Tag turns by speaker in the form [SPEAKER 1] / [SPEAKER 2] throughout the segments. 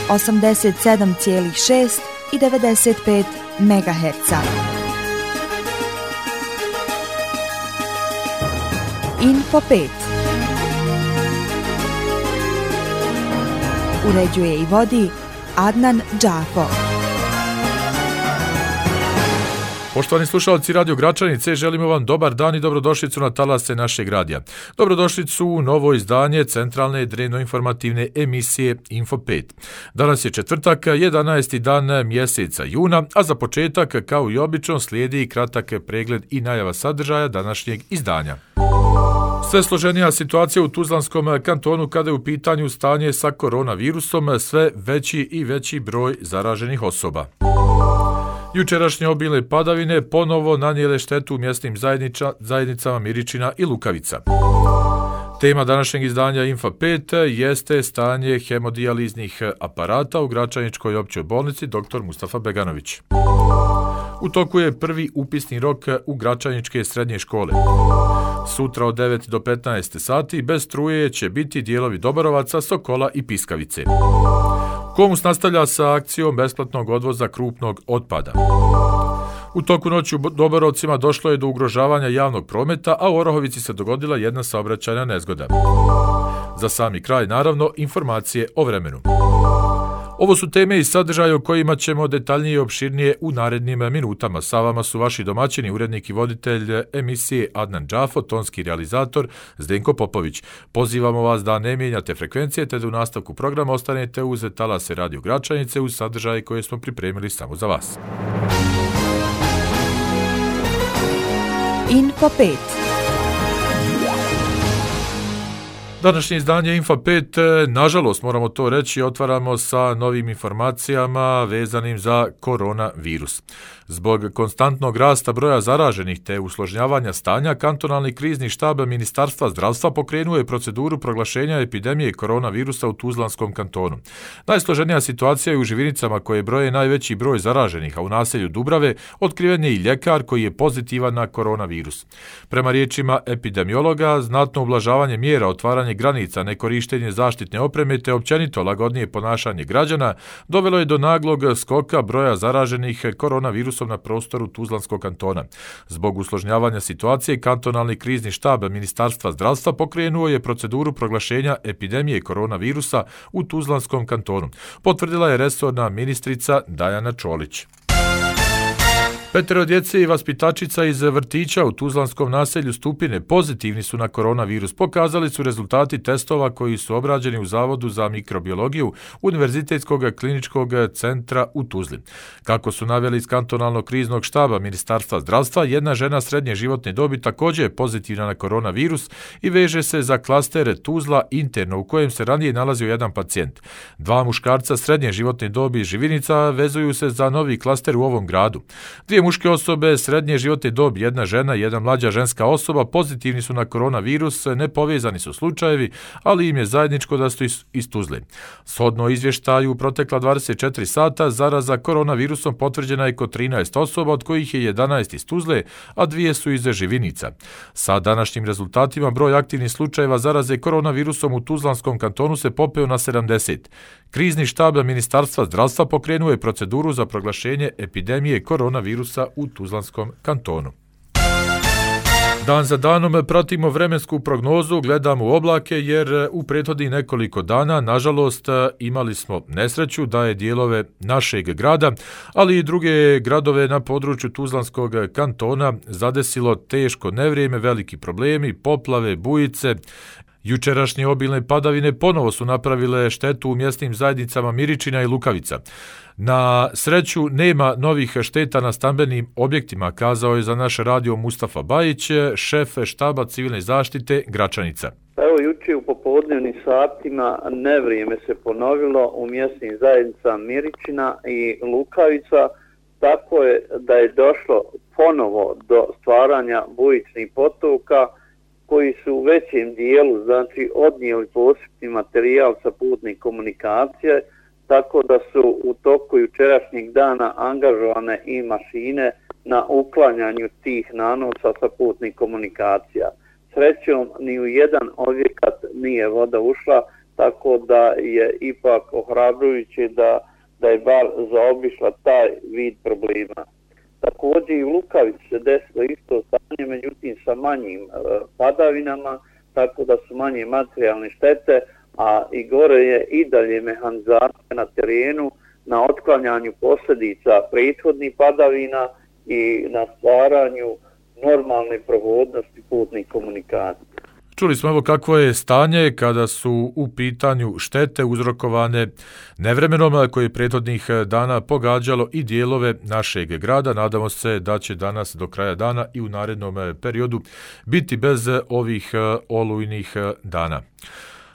[SPEAKER 1] 87,6 i 95 MHz. Info 5. Uređuje i vodi Adnan Džafo.
[SPEAKER 2] Poštovani slušalci Radio Gračanice, želimo vam dobar dan i dobrodošlicu na talase našeg radija. Dobrodošlicu u novo izdanje centralne dnevno-informativne emisije Info 5. Danas je četvrtak, 11. dan mjeseca juna, a za početak, kao i obično, slijedi kratak pregled i najava sadržaja današnjeg izdanja. Sve složenija situacija u Tuzlanskom kantonu kada je u pitanju stanje sa koronavirusom, sve veći i veći broj zaraženih osoba. Jučerašnje obilne padavine ponovo nanijele štetu u mjesnim zajednicama Miričina i Lukavica. Tema današnjeg izdanja Info 5 jeste stanje hemodijaliznih aparata u Gračaničkoj općoj bolnici dr. Mustafa Beganović. U toku je prvi upisni rok u Gračaničke srednje škole. Sutra od 9 do 15 sati bez struje će biti dijelovi Doborovaca, Sokola i Piskavice. Komus nastavlja sa akcijom besplatnog odvoza krupnog otpada. U toku noći u Doborovcima došlo je do ugrožavanja javnog prometa, a u Orahovici se dogodila jedna saobraćajna nezgoda. Za sami kraj, naravno, informacije o vremenu. Ovo su teme i sadržaje o kojima ćemo detaljnije i opširnije u narednim minutama. Sa vama su vaši domaćini, urednik i voditelj emisije Adnan Džafo, tonski realizator Zdenko Popović. Pozivamo vas da ne mijenjate frekvencije, te da u nastavku programa ostanete uz talase Radio Gračanice uz sadržaje koje smo pripremili samo za vas.
[SPEAKER 1] Info 5.
[SPEAKER 2] Današnje izdanje Info 5, nažalost moramo to reći, otvaramo sa novim informacijama vezanim za koronavirus. Zbog konstantnog rasta broja zaraženih te usložnjavanja stanja, kantonalni krizni štab Ministarstva zdravstva pokrenuo je proceduru proglašenja epidemije koronavirusa u Tuzlanskom kantonu. Najsloženija situacija je u Živinicama koje broje najveći broj zaraženih, a u naselju Dubrave otkriven je i ljekar koji je pozitivan na koronavirus. Prema riječima epidemiologa, znatno ublažavanje mjera, otvaranje granica, nekorištenje zaštitne opreme te općenito lagodnije ponašanje građana dovelo je do naglog skoka broja zaraženih koronavirusom na prostoru Tuzlanskog kantona. Zbog usložnjavanja situacije, kantonalni krizni štab Ministarstva zdravstva pokrenuo je proceduru proglašenja epidemije koronavirusa u Tuzlanskom kantonu. Potvrdila je resorna ministrica Dajana Čolić. 5 djece i vaspitačica iz vrtića u Tuzlanskom naselju Stupine pozitivni su na koronavirus. Pokazali su rezultati testova koji su obrađeni u Zavodu za mikrobiologiju Univerzitetskog kliničkog centra u Tuzli. Kako su naveli iz kantonalnog kriznog štaba Ministarstva zdravstva, jedna žena srednje životne dobi također je pozitivna na koronavirus i veže se za klaster Tuzla interno u kojem se ranije nalazio jedan pacijent. 2 muškarca srednje životne dobi iz Živinica vezuju se za novi klaster u ovom gradu. 2 muške osobe srednje životne dobi, jedna žena i jedna mlađa ženska osoba pozitivni su na koronavirus, nepovezani su slučajevi, ali im je zajedničko da su iz Tuzle. Shodno izvještaju u protekla 24 sata zaraza koronavirusom potvrđena je kod 13 osoba, od kojih je 11 iz Tuzle, a 2 su iz Živinica. Sa današnjim rezultatima broj aktivnih slučajeva zaraze koronavirusom u Tuzlanskom kantonu se popeo na 70. Krizni štab Ministarstva zdravstva pokrenuo je proceduru za proglašenje epidemije koronavirusa u Tuzlanskom kantonu. Dan za danom pratimo vremensku prognozu, gledamo u oblake jer u prethodnih nekoliko dana, nažalost, imali smo nesreću da je dijelove našeg grada, ali i druge gradove na području Tuzlanskog kantona zadesilo teško nevrijeme, veliki problemi, poplave, bujice. Jučerašnje obilne padavine ponovo su napravile štetu u mjesnim zajednicama Miričina i Lukavica. Na sreću nema novih šteta na stambenim objektima, kazao je za naš radio Mustafa Bajić, šef štaba civilne zaštite Gračanica.
[SPEAKER 3] Evo jučer u popodnevnim satima nevrijeme se ponovilo u mjesnim zajednicama Miričina i Lukavica, tako je da je došlo ponovo do stvaranja bujičnih potoka koji su u većem dijelu odnijeli posebni materijal sa putnih komunikacije, tako da su u toku jučerašnjeg dana angažovane i mašine na uklanjanju tih nanosa sa putnih komunikacija. Srećom, ni u jedan objekat nije voda ušla, tako da je ipak ohrabrujuće da je bar zaobišla taj vid problema. Također i u Lukavici se desilo isto stanje, međutim sa manjim padavinama, tako da su manje materijalne štete, a i gore je i dalje mehanizacija na terenu, na otklanjanju posljedica prethodnih padavina i na stvaranju normalne prohodnosti putnih komunikacija.
[SPEAKER 2] Čuli smo evo kakvo je stanje kada su u pitanju štete uzrokovane nevremenom koje je prethodnih dana pogađalo i dijelove našeg grada. Nadamo se da će danas do kraja dana i u narednom periodu biti bez ovih olujnih dana.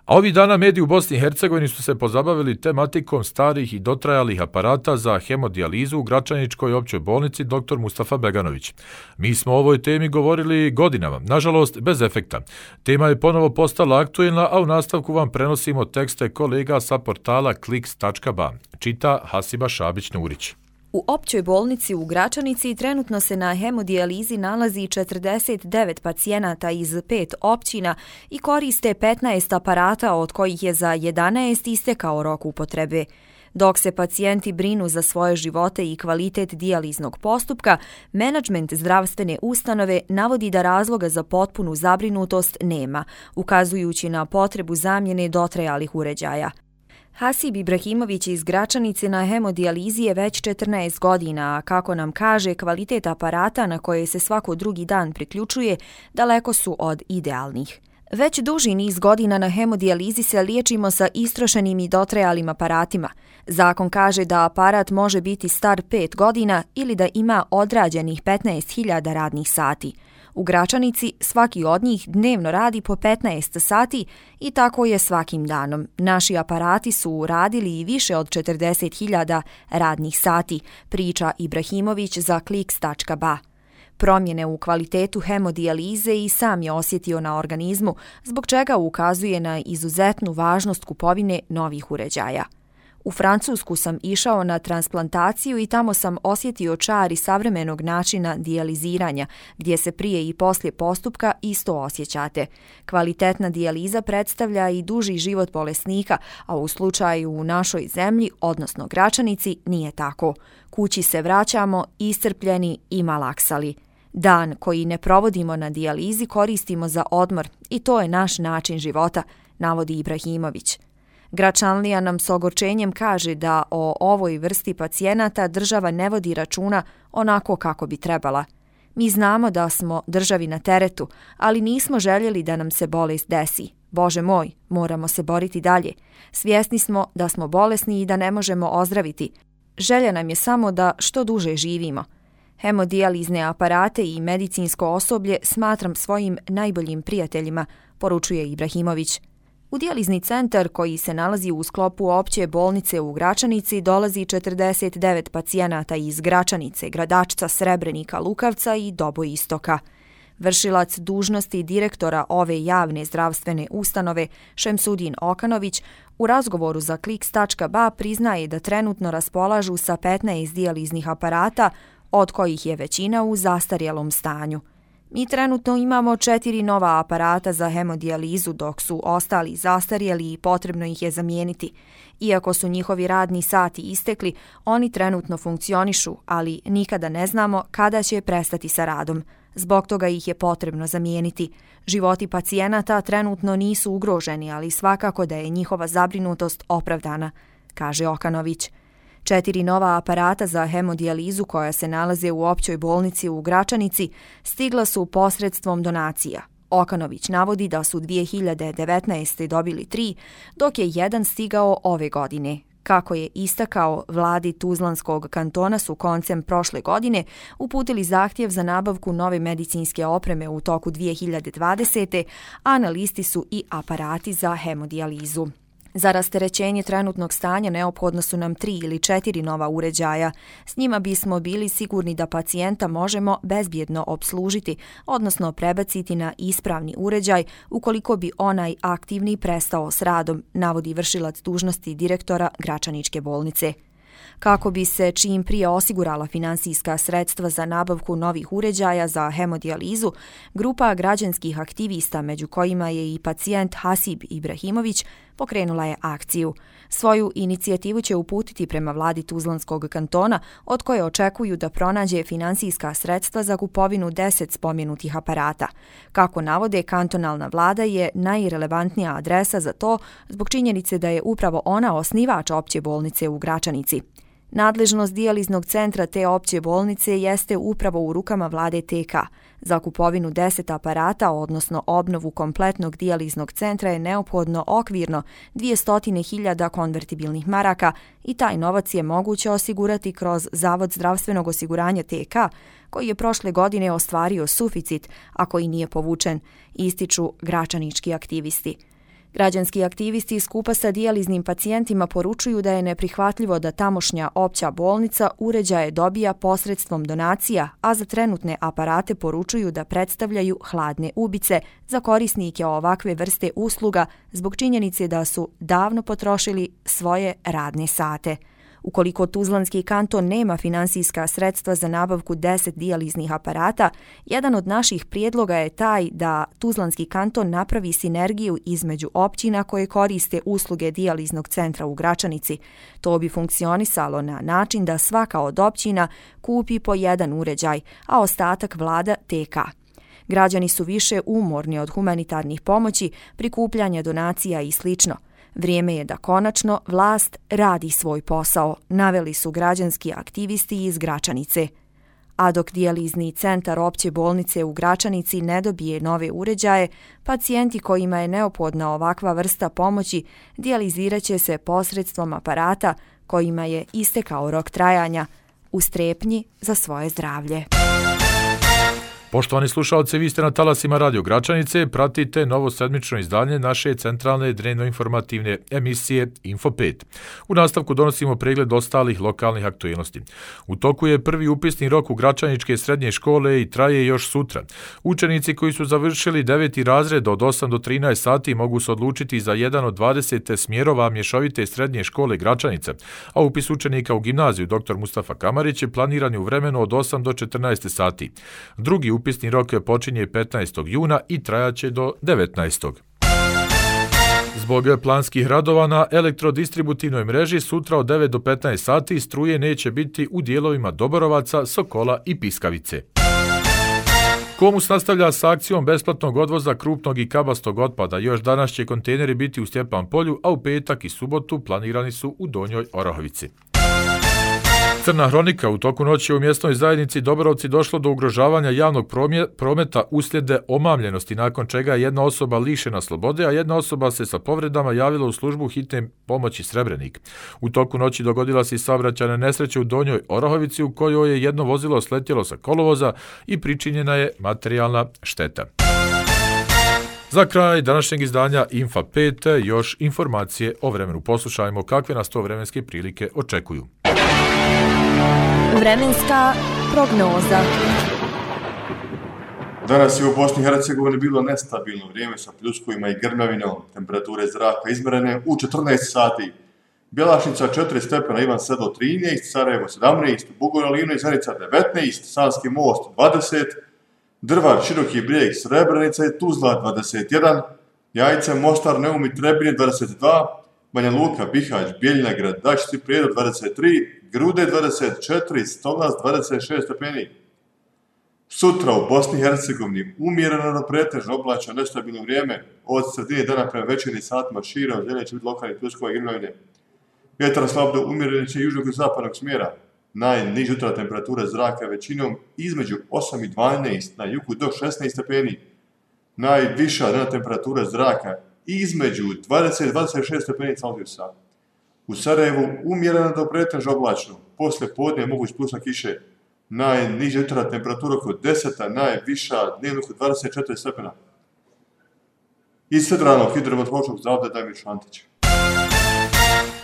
[SPEAKER 2] A ovih dana mediji u Bosni i Hercegovini su se pozabavili tematikom starih i dotrajalih aparata za hemodijalizu u Gračaničkoj općoj bolnici dr. Mustafa Beganović. Mi smo o ovoj temi govorili godinama, nažalost bez efekta. Tema je ponovo postala aktuelna, a u nastavku vam prenosimo tekste kolega sa portala kliks.ba. Čita Hasiba Šabić-Nurić.
[SPEAKER 4] U općoj bolnici u Gračanici trenutno se na hemodijalizi nalazi 49 pacijenata iz 5 općina i koriste 15 aparata, od kojih je za 11 istekao rok upotrebe. Dok se pacijenti brinu za svoje živote i kvalitet dijaliznog postupka, menadžment zdravstvene ustanove navodi da razloga za potpunu zabrinutost nema, ukazujući na potrebu zamjene dotrajalih uređaja. Hasib Ibrahimović iz Gračanice na hemodijalizi je već 14 godina, a kako nam kaže, kvalitet aparata na koje se svako drugi dan priključuje daleko su od idealnih. Već duži niz godina na hemodijalizi se liječimo sa istrošenim i dotrajalim aparatima. Zakon kaže da aparat može biti star 5 godina ili da ima odrađenih 15.000 radnih sati. U Gračanici svaki od njih dnevno radi po 15 sati i tako je svakim danom. Naši aparati su radili i više od 40.000 radnih sati, priča Ibrahimović za kliks.ba. Promjene u kvalitetu hemodijalize i sam je osjetio na organizmu, zbog čega ukazuje na izuzetnu važnost kupovine novih uređaja. U Francusku sam išao na transplantaciju i tamo sam osjetio čar i savremenog načina dijaliziranja, gdje se prije i poslije postupka isto osjećate. Kvalitetna dijaliza predstavlja i duži život bolesnika, a u slučaju u našoj zemlji, odnosno Gračanici, nije tako. Kući se vraćamo iscrpljeni i malaksali. Dan koji ne provodimo na dijalizi koristimo za odmor i to je naš način života, navodi Ibrahimović. Gračanlija nam s ogorčenjem kaže da o ovoj vrsti pacijenata država ne vodi računa onako kako bi trebala. Mi znamo da smo državi na teretu, ali nismo željeli da nam se bolest desi. Bože moj, moramo se boriti dalje. Svjesni smo da smo bolesni i da ne možemo ozdraviti. Želja nam je samo da što duže živimo. Hemodijalizne aparate i medicinsko osoblje smatram svojim najboljim prijateljima, poručuje Ibrahimović. U dijalizni centar koji se nalazi u sklopu opće bolnice u Gračanici dolazi 49 pacijenata iz Gračanice, Gradačca, Srebrenika, Lukavca i Doboistoka. Vršilac dužnosti direktora ove javne zdravstvene ustanove Šemsudin Okanović u razgovoru za kliks.ba priznaje da trenutno raspolažu sa 15 dijaliznih aparata, od kojih je većina u zastarjelom stanju. Mi trenutno imamo 4 nova aparata za hemodijalizu, dok su ostali zastarjeli i potrebno ih je zamijeniti. Iako su njihovi radni sati istekli, oni trenutno funkcionišu, ali nikada ne znamo kada će prestati sa radom. Zbog toga ih je potrebno zamijeniti. Životi pacijenata trenutno nisu ugroženi, ali svakako da je njihova zabrinutost opravdana, kaže Okanović. 4 nova aparata za hemodijalizu koja se nalaze u općoj bolnici u Gračanici stigla su posredstvom donacija. Okanović navodi da su 2019. dobili 3, dok je jedan stigao ove godine. Kako je istakao, vladi Tuzlanskog kantona su koncem prošle godine uputili zahtjev za nabavku nove medicinske opreme u toku 2020. a na listi su i aparati za hemodijalizu. Za rasterećenje trenutnog stanja neophodno su nam 3 ili 4 nova uređaja. S njima bismo bili sigurni da pacijenta možemo bezbjedno opslužiti, odnosno prebaciti na ispravni uređaj ukoliko bi onaj aktivni prestao s radom, navodi vršilac dužnosti direktora Gračaničke bolnice. Kako bi se čim prije osigurala finansijska sredstva za nabavku novih uređaja za hemodijalizu, grupa građanskih aktivista, među kojima je i pacijent Hasib Ibrahimović, pokrenula je akciju. Svoju inicijativu će uputiti prema vladi Tuzlanskog kantona, od koje očekuju da pronađe finansijska sredstva za kupovinu 10 spomenutih aparata. Kako navode, kantonalna vlada je najrelevantnija adresa za to zbog činjenice da je upravo ona osnivač opće bolnice u Gračanici. Nadležnost dijaliznog centra te opće bolnice jeste upravo u rukama vlade TK. Za kupovinu 10 aparata, odnosno obnovu kompletnog dijaliznog centra, je neophodno okvirno 200.000 konvertibilnih maraka i taj novac je moguće osigurati kroz Zavod zdravstvenog osiguranja TK, koji je prošle godine ostvario suficit, a koji nije povučen, ističu gračanički aktivisti. Građanski aktivisti skupa sa dijaliznim pacijentima poručuju da je neprihvatljivo da tamošnja opća bolnica uređaje dobija posredstvom donacija, a za trenutne aparate poručuju da predstavljaju hladne ubice za korisnike ovakve vrste usluga zbog činjenice da su davno potrošili svoje radne sate. Ukoliko Tuzlanski kanton nema finansijska sredstva za nabavku 10 dijaliznih aparata, jedan od naših prijedloga je taj da Tuzlanski kanton napravi sinergiju između općina koje koriste usluge dijaliznog centra u Gračanici. To bi funkcionisalo na način da svaka od općina kupi po jedan uređaj, a ostatak vlada TK. Građani su više umorni od humanitarnih pomoći, prikupljanja donacija i slično. Vrijeme je da konačno vlast radi svoj posao, naveli su građanski aktivisti iz Gračanice. A dok dijalizni centar opće bolnice u Gračanici ne dobije nove uređaje, pacijenti kojima je neophodna ovakva vrsta pomoći dijalizirat će se posredstvom aparata kojima je istekao rok trajanja, u strepnji za svoje zdravlje.
[SPEAKER 2] Poštovani slušalci, vi ste na talasima Radio Gračanice, pratite novo sedmično izdanje naše centralne dnevno-informativne emisije Info 5. U nastavku donosimo pregled ostalih lokalnih aktualnosti. U toku je prvi upisni rok u Gračaničke srednje škole i traje još sutra. Učenici koji su završili 9. razred od 8 do 13 sati mogu se odlučiti za jedan od 20 smjerova mješovite srednje škole Gračanica, a upis učenika u gimnaziju dr. Mustafa Kamarić je planiran u vremenu od 8 do 14 sati. Drugi upisni rok počinje 15. juna i trajaće do 19. Zbog planskih radova na elektrodistributivnoj mreži sutra od 9 do 15 sati struje neće biti u dijelovima Doborovaca, Sokola i Piskavice. Komus nastavlja s akcijom besplatnog odvoza krupnog i kabastog otpada. Još danas će kontejneri biti u Stjepan polju, a u petak i subotu planirani su u Donjoj Orahovici. Crna hronika, u toku noći u mjesnoj zajednici Doborovci došlo do ugrožavanja javnog prometa uslijed omamljenosti, nakon čega je jedna osoba lišena slobode, a jedna osoba se sa povredama javila u službu hitne pomoći Srebrenik. U toku noći dogodila se i saobraćajna nesreća u Donjoj Orahovici u kojoj je jedno vozilo sletjelo sa kolovoza i pričinjena je materijalna šteta. Za kraj današnjeg izdanja Infa 5 još informacije o vremenu. Poslušajmo kakve nas to vremenske prilike očekuju.
[SPEAKER 4] Vremenska prognoza.
[SPEAKER 5] Danas je u Bosni i Hercegovini bilo nestabilno vrijeme sa pljuskovima i grmljavinom. Temperature zraka izmjerene u 14 sati. Bjelašnica 4 stepena, Ivan Sedlo 13, Sarajevo 17, Bugojno Livno i Zenica 19, Sanski most 20, Drvar, Široki brijeg, Srebrenica i Tuzla 21, Jajce, Mostar, Neum i Trebinje 22, Banja Luka, Bihać, Bijeljina, Gradačci i Prijedor 23, Grude 24, Stolac 26 stepeni. Sutra u Bosni i Hercegovini umjereno do pretežno oblačno nestabilno vrijeme, od sredine dana prema večernjim satima širom zemlje će biti lokalni pljuskova i grmljavine. Vjetar slab do umjerene će južnog i zapadnog smjera. Najniža jutra temperatura zraka većinom između 8 i 12, na jugu do 16 stepeni. Najviša dnevna temperatura zraka između 20 i 26 stepeni Celzijusa. U Sarajevu umjereno do pretežno oblačno, poslije podne je moguć plusak kiše. Najniža jutra temperatura oko 10, najviša dnevno oko 24 stepena. Iz Federalnog hidrometeorološkog zavoda Damir Šantić.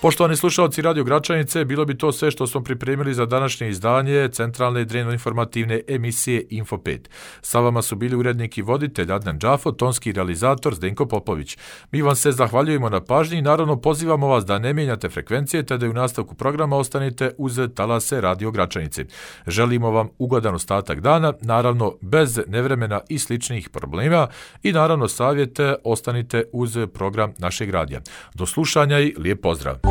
[SPEAKER 2] Poštovani slušalci Radio Gračanice, bilo bi to sve što smo pripremili za današnje izdanje centralne dnevno-informativne emisije Info 5. Sa vama su bili urednik i voditelj Adnan Džafo, tonski realizator Zdenko Popović. Mi vam se zahvaljujemo na pažnji i naravno pozivamo vas da ne mijenjate frekvencije te da i u nastavku programa ostanete uz talase Radio Gračanice. Želimo vam ugodan ostatak dana, naravno bez nevremena i sličnih problema i naravno savjete ostanite uz program našeg radija. Do slušanja i lijep pozdrav!